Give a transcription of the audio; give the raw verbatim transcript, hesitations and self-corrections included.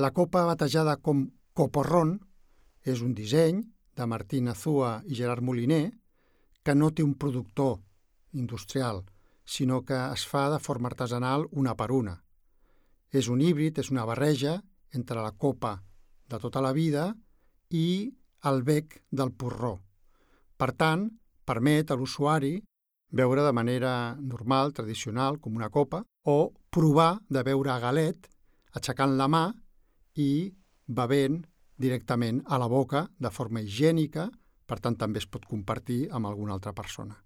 La copa batejada com Coporrón és un disseny de Martín Azúa i Gerard Moliner que no té un productor industrial, sinó que es fa de forma artesanal una per una. És un híbrid, és una barreja entre la copa de tota la vida i el bec del porró. Per tant, permet a l'usuari beure de manera normal, tradicional, com una copa, o provar de beure a galet, aixecant la mà i bevent directament a la boca de forma higiènica, per tant també es pot compartir amb alguna altra persona.